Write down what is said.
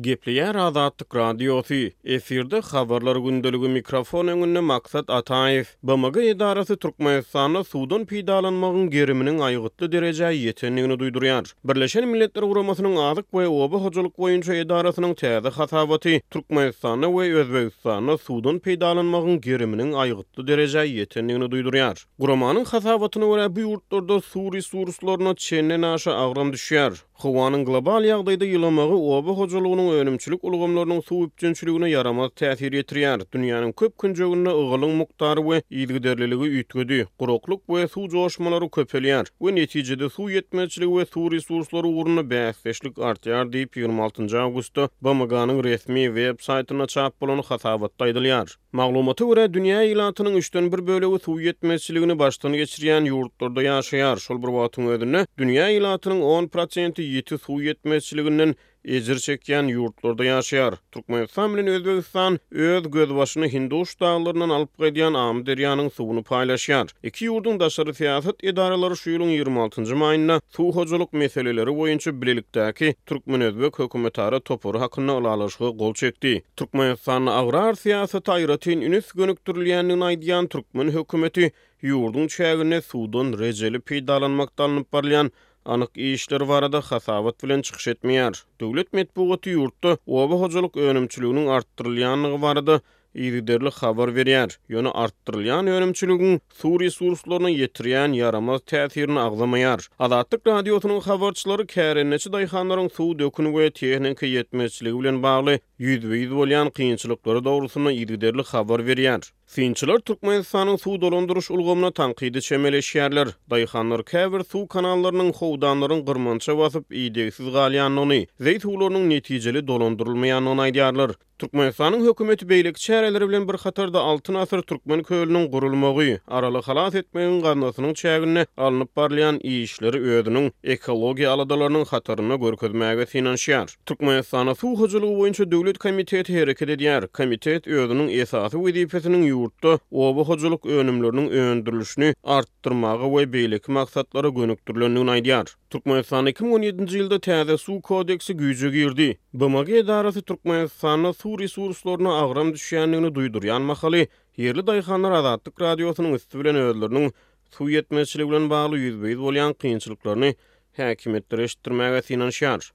Gepleýär Azatlyk Radiosy, efirde Habarlar gündeligi mikrofon öňünde Maksat Ataýew. BMG edarasy Türkmenistanda suwdan peýdalanmagyň geriminiň aýgytly derejä ýetendigini duýdurýar. Birleşen Milletler Guramasynyň Azyk we oba hojalyk boýunça edarasynyň täze hasabaty Türkmenistanda we Özbegistanda suwdan peýdalanmagyň geriminiň aýgytly derejä ýetendigini duýdurýar. Guramanyň hasabatyna görä, bu ýurtlarda suw resurslaryna çendenaşa agram düşýär. Howanyň global ýagdaýda ýylamagy oba hojalygynyň önümçilik ulgamlarynyň suw üpjünçiligine ýaramaz täsir ýetirýär. Dünýäniň köp künjeginde ygalyň mukdary we yzygiderliligi üýtgedi, guraklyk we suw joşmalary köpelýär we netijede suw ýetmezçiligi we suw resurslary ugrunda bäsdeşlik artýar diýip, 26 awgustda BMG-niň resmi web saýtynda çap bolan hasabatda aýdylýar. Maglumata görä, dünýä ilatynyň üçden bir bölegi suw ýetmezçiligini başdan geçirýän ýurtlarda ýaşaýar. Şol bir wagtyň özünde, dünýä ilatynyň 10 prosenti ýiti suw ýetmezçiliginden ejir çekýän ýurtlarda ýaşaýar. Türkmenistan bilen Özbegistan öz gözbaşyny Hinduş daglaryndan alyp gaýdýan Amyderýanyň suwuny paýlaşýar. Iki ýurduň daşary syýasat edaralary şu ýylyň 26 njy maýynda suw hojalyk meseleleri boýunça bilelikdäki türkmen-özbek hökümetara topary hakynda ylalaşyga gol çekdi. Türkmenistanda agrar syýasata aýratyn üns gönükdirilýändigini aýdýan türkmen hökümeti ýurduň çäginde suwdan rejeli peýdalanmakda alnyp barylýan anyk işler barada hasabat bilen çykyş etmeýär. Döwlet metbugaty ýurtda oba hojalyk önümçiliginiň artdyrylýandygy barada yzygiderli habar berýär, ýöne artdyrylýan önümçiligiň suw resurslaryna ýetirýän ýaramaz täsirini agzamaýar. Azatlyk Radiosynyň habarçylary kärendeçi daýhanlaryň suw dökün we tehnika ýetmezçiligi bilen bagly ýüzbe-ýüz bolýan kynçylyklary dogrusynda yzygiderli habar berýär. Synçylar Türkmenistanyň suw dolandyryş ulgamyna tankydy çemeleşýärler. Daýhanlar käbir suw kanallarynyň howdanlaryň gyrmança basyp, idegsiz galýandygyny, zeý suwlarynyň netijeli dolandyrylmaýandygyny aýdýarlar. Türkmenistanyň hökümeti beýleki çäreleri bilen bir hatarda Altyn asyr Türkmen kölüniň gurulmagy, Araly halas etmegiň gaznasynyň çäginde alnyp barylýan işleri özüniň ekologiýa aladalarynyň hatarynda görkezmäge synanyşýar. Türkmenistanda Suw hojalygy boýunça döwlet komiteti hereket edýär. Komitet özüniň esasy wezipesiniň ýurtda oba hojalyk önümleriniň öndürilişini artdyrmaga we beýleki maksatlara gönükdirilendigini aýdýar. Türkmenistanda 2017-nji ýylda täze Suw kodeksi güýje girdi. BMG edarasy Türkmenistanda suw resurslaryna agram düşýändigini duýdurýan mahaly, ýerli daýhanlar Azatlyk Radiosynyň üsti bilen özleriniň suw ýetmezçiligi bilen bagly ýüzbe-ýüz bolýan kynçylyklaryny häkimiýetlere eşitdirmäge synanyşýar.